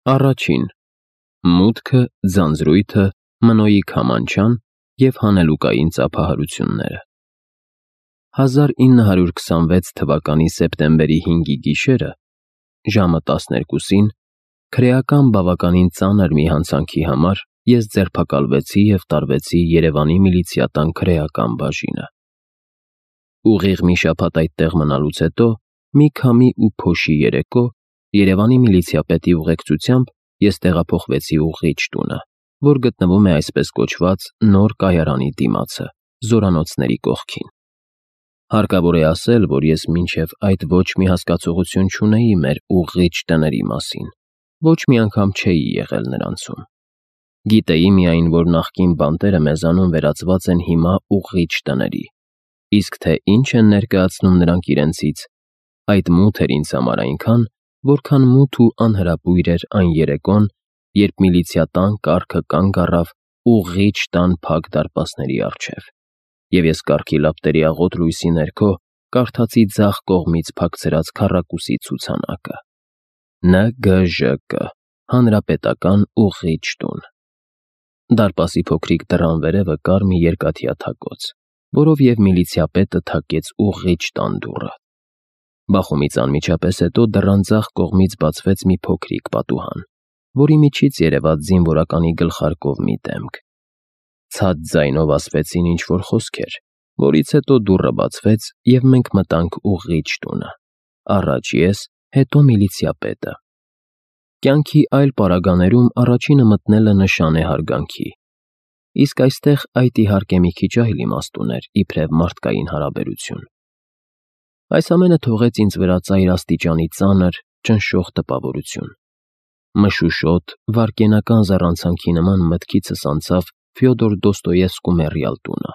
Առաջին. մուտքը, ձանձրույթը, Մնոյի քամանչան և հանելուկային ծափահարությունները։ 1926 թվականի սեպտեմբերի 5-ի գիշերը, ժամը 12-ին, քրեական բավականին ծանր մի հանցանքի համար ես ձերբակալվեցի և տարվեցի Երևանի միլիցիական քրեական բաժինը։ Ուղիղ մի շաբաթ այդտեղ մնալուց հետո, մի քամի ու փոշի երեկո, Երևանի միլիցիապետի ուղեկցությամբ ես տեղափոխվեցի ուղղիչ տունը, որ գտնվում է այսպես կոչված նոր կայարանի դիմացը, Զորանոցների կողքին։ Հարկավոր է ասել, որ ես մինչև այդ ոչ մի հասկացողություն չունեի մեր ուղղիչ տների մասին, ոչ մի անգամ չէի եղել նրանցում։ Գիտեի միայն, որ նախկին բանտերը մեզանում վերածված են հիմա ուղղիչ տների, իսկ թե ինչ են ներկայացնում նրանք իրենցից, այդ մութ էր ինձ համար այնքան, որքան մութ ու անհրապույր էր այն երեկոն, երբ միլիցիական կառքը կանգ առավ ուղղիչ տան փակ դարպասների առջև, և ես կառքի լապտերի աղոտ լույսի ներքո կարդացի ձախ կողմից փակցրած քառակուսի ցուցանակը. ՆԳԺԿ Հանրապետական ուղղիչ տուն։ Դարպասի փոքրիկ դռան վերևը կար մի երկաթյա թակոց, որով և միլիցիապետը թակեց ուղղիչ տան դուռը։ Բախումից անմիջապես հետո դռան ձախ կողմից բացվեց մի փոքրիկ պատուհան, որի միջից երևաց զինվորականի գլխարկով մի դեմք։ Ցած ձայնով ասվեցին ինչ-որ խոսքեր, որից հետո դուռը բացվեց, և մենք մտանք ուղղիչ տունը, առաջ ես, հետո միլիցիապետը։ Կյանքի այլ պարագաներում առաջինը մտնելը նշան է հարգանքի, իսկ այստեղ այդ իհարկե մի քիչ այլ իմաստ ուներ, իբրև մարդկային հարաբերություն։ Այս ամենը թողեց ինձ վրա ծայր աստիճանի ծանր, ճնշող տպավորություն։ Մշուշոտ, վայրկենական զառանցանքի նման մտքիցս անցավ Ֆյոդոր Դոստոևսկու մեռյալ տունը,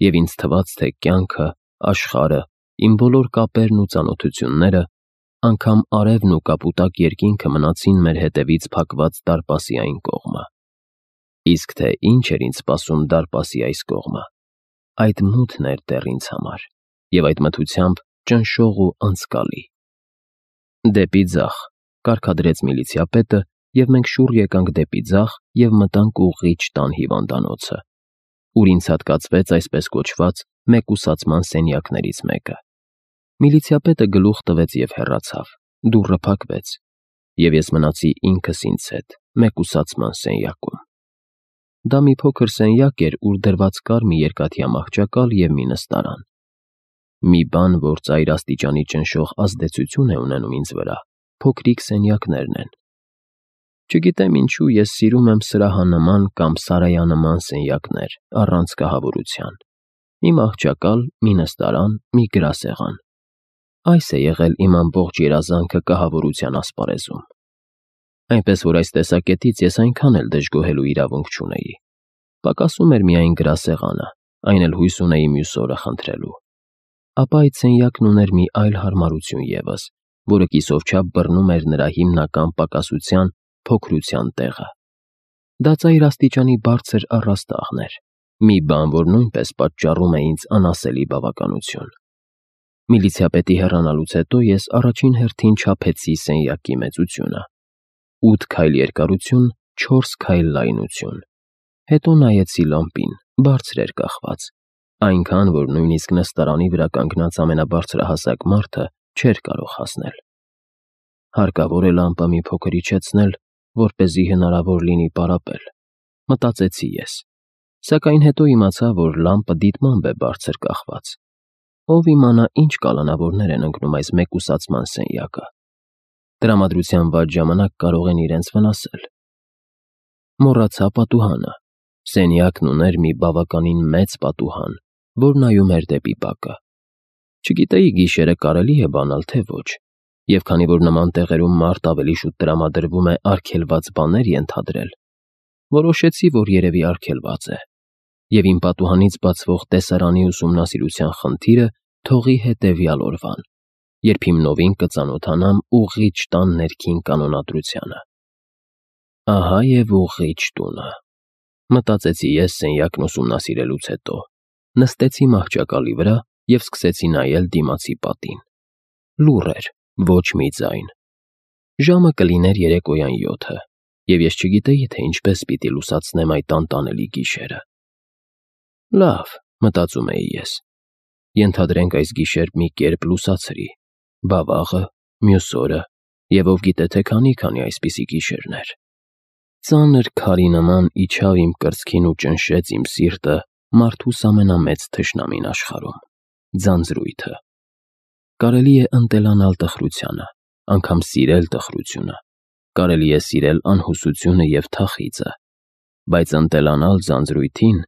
և ինձ թվաց, թե կյանքը, աշխարհը, իմ բոլոր կապերն ու ծանոթությունները, անգամ արևն ու կապուտակ երկինքը մնացին մեր հետևից փակված դարպասի այն կողմը։ Իսկ թե ինչ էր ինձ սպասում դարպասի այս կողմը, այդ մութն էր դեռ ինձ համար, և այդ մթությամբ ճնշող ու անցկալի։ Դեպի ձախ, կարգադրեց միլիցիապետը, և մենք շուռ եկանք դեպի ձախ և մտանք ուղղիչ տան հիվանդանոցը, ուր ինձ հատկացվեց այսպես կոչված մեկուսացման սենյակներից մեկը։ Միլիցիապետը գլուխ տվեց և հեռացավ, դուռը փակվեց, և ես մնացի ինքս ինձ հետ մեկուսացման սենյակում։ Դա մի փոքր սենյակ էր, ուր դրված կար մի երկաթյա մահճակալ և մի նստարան։ Մի բան, որ ծայր աստիճանի ճնշող ազդեցություն է ունենում ինձ վրա, փոքրիկ սենյակներն են։ Չգիտեմ ինչու ես սիրում եմ սրահանման կամ սարայանման սենյակներ առանց կահավորության։ Մի մահճակալ, մի նստարան, մի գրասեղան։ Այս է եղել իմ ամբողջ երազանքը կահավորության ասպարեզում։ Այնպես որ այս տեսակետից ես այնքան էլ դժգոհելու իրավունք չունեի։ Պակասում էր միայն գրասեղանը, այն էլ հույս ունեի մյուս օրը խնդրելու։ Ապա այդ սենյակն ուներ մի այլ հարմարություն ևս, որը կիսով չափ բռնում էր նրա հիմնական պակասության, փոքրության տեղը։ Դա ծայր աստիճանի բարձր առաստաղն էր, մի բան, որ նույնպես պատճառում է ինձ անասելի բավականություն։ Միլիցիապետի հեռանալուց հետո ես առաջին հերթին չափեցի սենյակի մեծությունը. 8 քայլ երկարություն, 4 քայլ լայնություն։ Հետո նայեցի լամպին, բարձր էր կախված, այնքան, որ նույնիսկ նստարանի վրա կանգնած ամենաբարձրահասակ մարդը չէր կարող հասնել։ Հարկավոր է լամպը մի փոքր իջեցնել, որպեսզի հնարավոր լինի պարապել, մտածեցի ես, սակայն հետո իմացա, որ լամպը դիտմամբ է բարձր կախված։ Ով իմանա ինչ կալանավորներ են ընկնում այս մեկուսացման սենյակը։ Տրամադրության վատ ժամանակ կարող են իրենց վնասել։ Մոռացա պատուհանը։ Սենյակն ուներ մի բավականին մեծ պատուհան, որ նայում էր դեպի բակը։ Չգիտեի գիշերը կարելի է բանալ, թե ոչ, և քանի որ նման տեղերում մարդ ավելի շուտ տրամադրվում է արգելված բաներ ենթադրել, որոշեցի, որ երևի արգելված է, և իմ պատուհանից բացվող տեսարանի ուսումնասիրության խնդիրը թողի հետևյալ օրվան, երբ հիմնովին կծանոթանամ ուղղիչ տան ներքին կանոնադրությանը։ Ահա և ուղղիչ տունը, մտածեցի ես սենյակն ուսումնասիրելուց հետո, նստեցի մահճակալի վրա և սկսեցի նայել դիմացի պատին։ Լուռ էր, ոչ մի ձայն։ Ժամը կլիներ երեկոյան 7-ը, և ես չգիտեի, թե ինչպես պիտի լուսացնեմ այդ անտանելի գիշերը։ Լավ, մտածում էի ես։ Ենթադրենք այս գիշեր մի կերպ լուսացրի, բա վաղը, մյուս օրը, և ով գիտե թե քանի այսպիսի գիշերներ։ Ծանր քարի նման իջավ իմ կրծքին ու ճնշեց իմ սիրտը մարդուս ամենամեծ թշնամին աշխարհում՝ ձանձրույթը։ Կարելի է ընտելանալ տխրությանը, անգամ սիրել տխրությունը, կարելի է սիրել անհուսությունը և թախիծը, բայց ընտելանալ ձանձրույթին,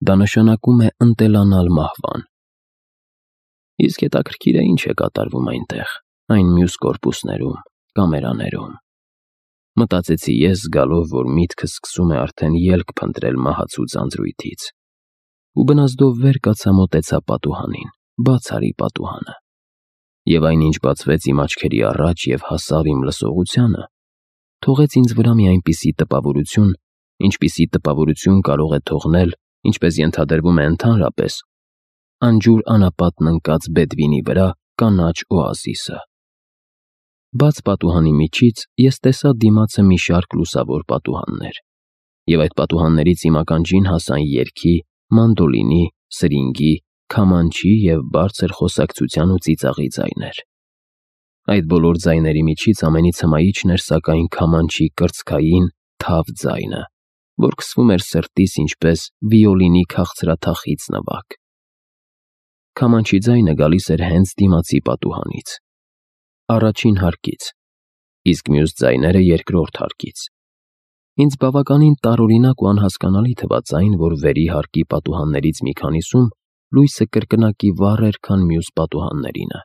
դա նշանակում է ընտելանալ մահվան։ Իսկ հետաքրքիր է ինչ է կատարվում այնտեղ, այն մյուս կորպուսներում, կամերաներում։ Մտածեցի ես, զգալով, որ միտքս սկսում է արդեն ելք փնտրել մահացու ձանձրույթից։ Ու բնազդով վեր կացա, մոտեցա պատուհանին, բաց արի պատուհանը։ Եվ այնինչ բացվեց իմ աչքերի առաջ և հասավ իմ լսողությանը, թողեց ինձ վրա մի այնպիսի տպավորություն, ինչպիսի տպավորություն կարող է թողնել, ինչպես ենթադրվում է ընդհանրապես, անջուր անապատն ընկած Բեդվինի վրա կանաչ օազիսը։ Բաց պատուհանի միջից ես տեսա դիմացը մի շարք լուսավոր պատուհաններ, և այդ պատուհաններից իմ ականջին հասան երգի, մանդոլինի, սրինգի, քամանչի և բարձր խոսակցության ու ծիծաղի ձայներ։ Այդ բոլոր ձայների միջից ամենից հմայիչն էր սակայն քամանչի կրծքային, թավ ձայնը, որ քսվում էր սրտիս ինչպես վիոլինի քաղցրաթախիծ նվագ։ Քամանչի ձայնը գալիս էր հենց դիմացի պատուհանից, առաջին հարկից, իսկ մյուս ձայները երկրորդ հարկից։ Ինձ բավականին տարօրինակ ու անհասկանալի թվաց այն, որ վերի հարկի պատուհաններից մի քանիսում լույսը կրկնակի վառ էր, քան մյուս պատուհաններինը։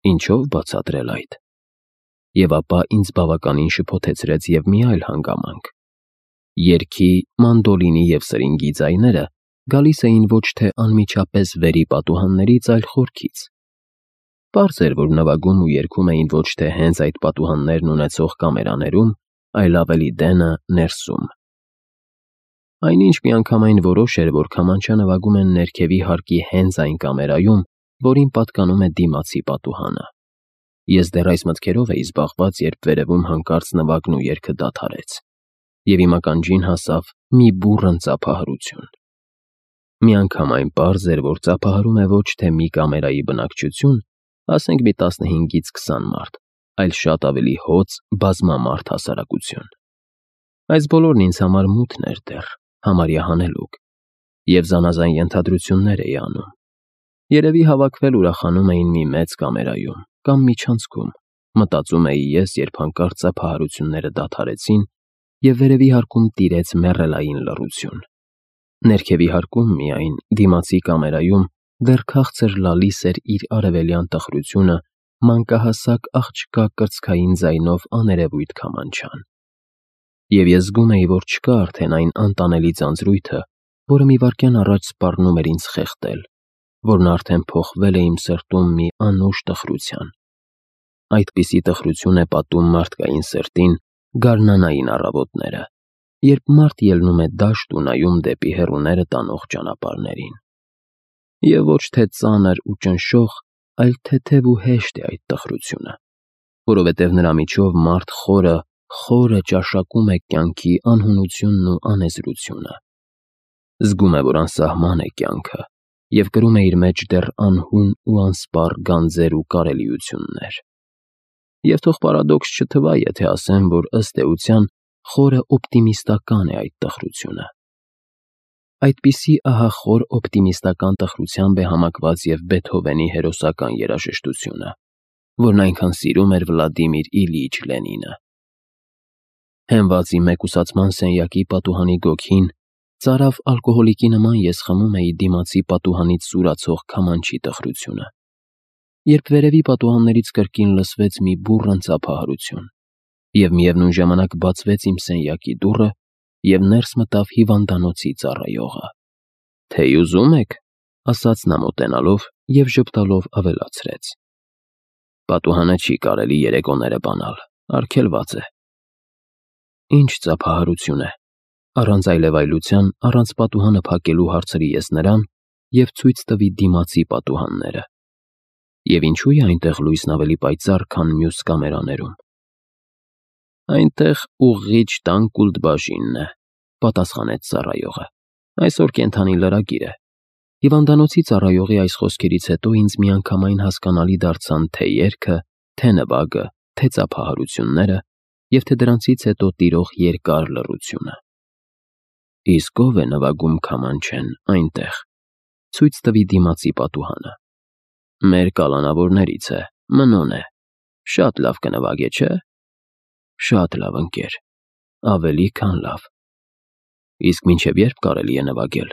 Ինչո՞վ բացատրել այդ։ Եվ ապա ինձ բավականին շփոթեցրեց և մի այլ հանգամանք։ Երգի, մանդոլինի և սրինգի ձայները գալիս էին ոչ թե անմիջապես վերի պատուհաններից, այլ խորքից։ Պարզ էր, որ նվագում ու երգում էին ոչ թե հենց այդ պատուհաններն ունեցող կամերաներում, այլ ավելի դենը ներսում։ Այնինչ միանգամայն որոշ էր, որ քամանչա նվագում են ներքևի հարկի հենց այն կամերայում, որին պատկանում է դիմացի պատուհանը։ Ես դեռ այս մտքերով էի զբաղված, երբ վերևում հանկարծ նվագն ու երգը դադարեց, և իմ ականջին հասավ մի բուռն ծափահարություն։ Միանգամայն պարզ էր, որ ծափահարում է ոչ թե մի կամերայի բնակչություն, ասենք մի 15-ից 20 մարդ, այլ շատ ավելի հոծ, բազմամարդ հասարակություն։ Այս բոլորն ինձ համար մութն էր դեռ, համարյա հանելուկ, և զանազան ենթադրություններ էի անում։ Երևի հավաքվել ուրախանում էին մի մեծ կամերայում, կամ միջանցքում, մտածում էի ես, երբ հանկարծ ծափահարությունները դադարեցին, և վերևի հարկում տիրեց մեռելային լռություն։ Ներքևի հարկում միայն, դիմացի կամերայում, դեռ քաղցր լալիս էր իր արևելյան տխրությունը մանկահասակ աղջկա կրծքային ձայնով աներևույթ քամանչան։ Եվ ես զգում էի, որ չկա արդեն այն անտանելի ձանձրույթը, որը մի վայրկյան առաջ սպառնում էր ինձ խեղդել, որն արդեն փոխվել է իմ սրտում մի անուշ տխրության։ Այդպիսի տխրություն է պատում մարդկային սրտին գարնանային առավոտները, երբ մարդ ելնում է դաշտ ու նայում դեպի հեռուները տանող ճանապարհներին։ Եվ ոչ թե ծանր ու ճնշող, այլ թեթև ու հեշտ է այդ տխրությունը, որովհետև նրա միջով մարդ խորը ճաշակում է կյանքի անհունությունն ու անեզրությունը։ Զգում է, որ անսահման է կյանքը, և կրում է իր մեջ դեռ անհուն ու անսպառ գանձեր ու կարելիություններ։ Եվ թող պարադոքս չթվա, եթե ասեմ, որ ըստ էության խորը օպտիմիստական է այդ տխրությունը։ Այդպիսի ահախոր օպտիմիստական տխրությամբ է համակված և Բեթհովենի հերոսական երաժշտությունը, որն այնքան սիրում էր Վլադիմիր Իլիչ Լենինը։ Հենված իմ մեկուսացման սենյակի պատուհանի գոգին, ծարավ ալկոհոլիկի նման ես խմում էի դիմացի պատուհանից սուրացող քամանչի տխրությունը, երբ վերևի պատուհաններից կրկին լսվեց մի բուռն ծափահարություն, և միևնույն ժամանակ բացվեց իմ սենյակի դուռը, և ներս մտավ հիվանդանոցի ծառայողը։ «Թեյ ուզում եք», ասաց նա մոտենալով և ժպտալով ավելացրեց. «Պատուհանը չի կարելի երեկոները բանալ, արգելված է»։ Ինչ ծափահարություն է, առանց այլևայլության, առանց պատուհանը փակելու հարցրի ես նրան և ցույց տվի դիմացի պատուհանները։ Եվ ինչու է այնտեղ լույսն ավելի պայծառ, քան մյուս կամերաներում։ Այնտեղ ուղղիչ տան կուլտբաժինն է, պատասխանեց ծառայողը։ Այսօր կենդանի լրագիր է։ Հիվանդանոցի ծառայողի այս խոսքերից հետո ինձ միանգամայն հասկանալի դարձան թե երգը, թե նվագը, թե ծափահարությունները և թե դրանցից հետո տիրող երկար լռությունը։ Իսկ ով է նվագում քամանչեն այնտեղ, ցույց տվի դիմացի պատուհանը։ Մեր կալանավորներից է, Մնոն է, շատ լավ կնվագե, չէ՞։ Շատ լավ, ընկեր, ավելի քան լավ։ Իսկ մինչև երբ կարելի է նվագել։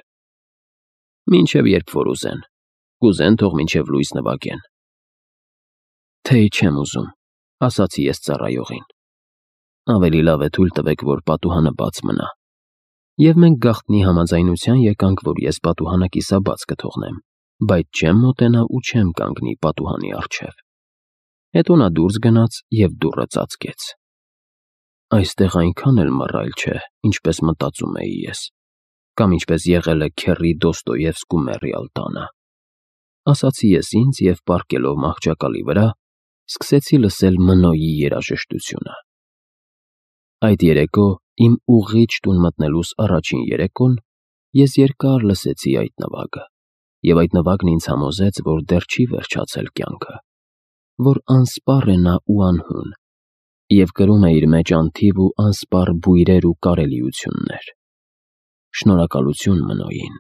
Մինչև երբ որ ուզեն, կուզեն թող մինչև լույս նվագեն։ Թեյ չեմ ուզում, ասացի ես ծառայողին։ Ավելի լավ է թույլ տվեք, որ պատուհանը բաց մնա։ Եվ մենք գաղտնի համաձայնության եկանք, որ ես պատուհանը կիսաբաց կթողնեմ, բայց չեմ մոտենա ու չեմ կանգնի պատուհանի առջև։ Հետո նա դուրս գնաց և դուռը ծածկեց։ Այստեղ այնքան էլ մռայլ չէ, ինչպես մտածում էի ես, կամ ինչպես եղել է Քեռի Դոստոևսկու մեռյալ տանը, ասացի ես ինձ և պառկելով մահճակալի վրա, սկսեցի լսել Մնոյի երաժշտությունը։ Այդ երեկո, իմ ուղղիչ տուն մտնելուս առաջին երեկոն, ես երկար լսեցի այդ նվագը, և այդ նվագն ինձ համոզեց, որ դեռ չի վերջացել կյանքը, որ անսպառ է նա ու անհուն, և կրում է իր մեջ անթիվ ու անսպառ բույրեր ու կարելիություններ։ Շնորհակալություն Մնոյին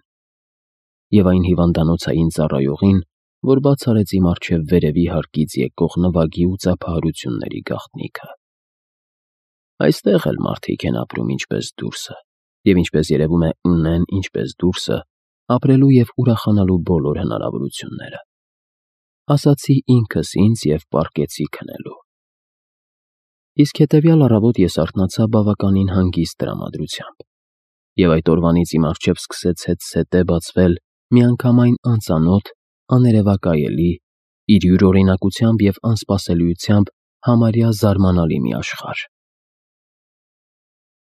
և այն հիվանդանոցային ծառայողին, որ բաց արեց իմ առջև վերևի հարկից եկող նվագի ու ծափահարությունների գաղտնիքը։ Այստեղ էլ մարդիկ են ապրում ինչպես դուրսը, և ինչպես երևում է ունեն ինչպես դուրսը ապրելու և ուրախանալու բոլոր հնարավորությունները։ Ասացի ինքս ինձ և պառկեցի քնելու։ Իսկ հետևյալ առավոտ ես արթնացա բավականին հանգիստ տրամադրությամբ, և այդ օրվանից իմ առջև սկսեց հետզհետե բացվել միանգամայն անծանոթ, աներևակայելի, իր յուրօրինակությամբ և անսպասելիությամբ համարյա զարմանալի մի աշխարհ։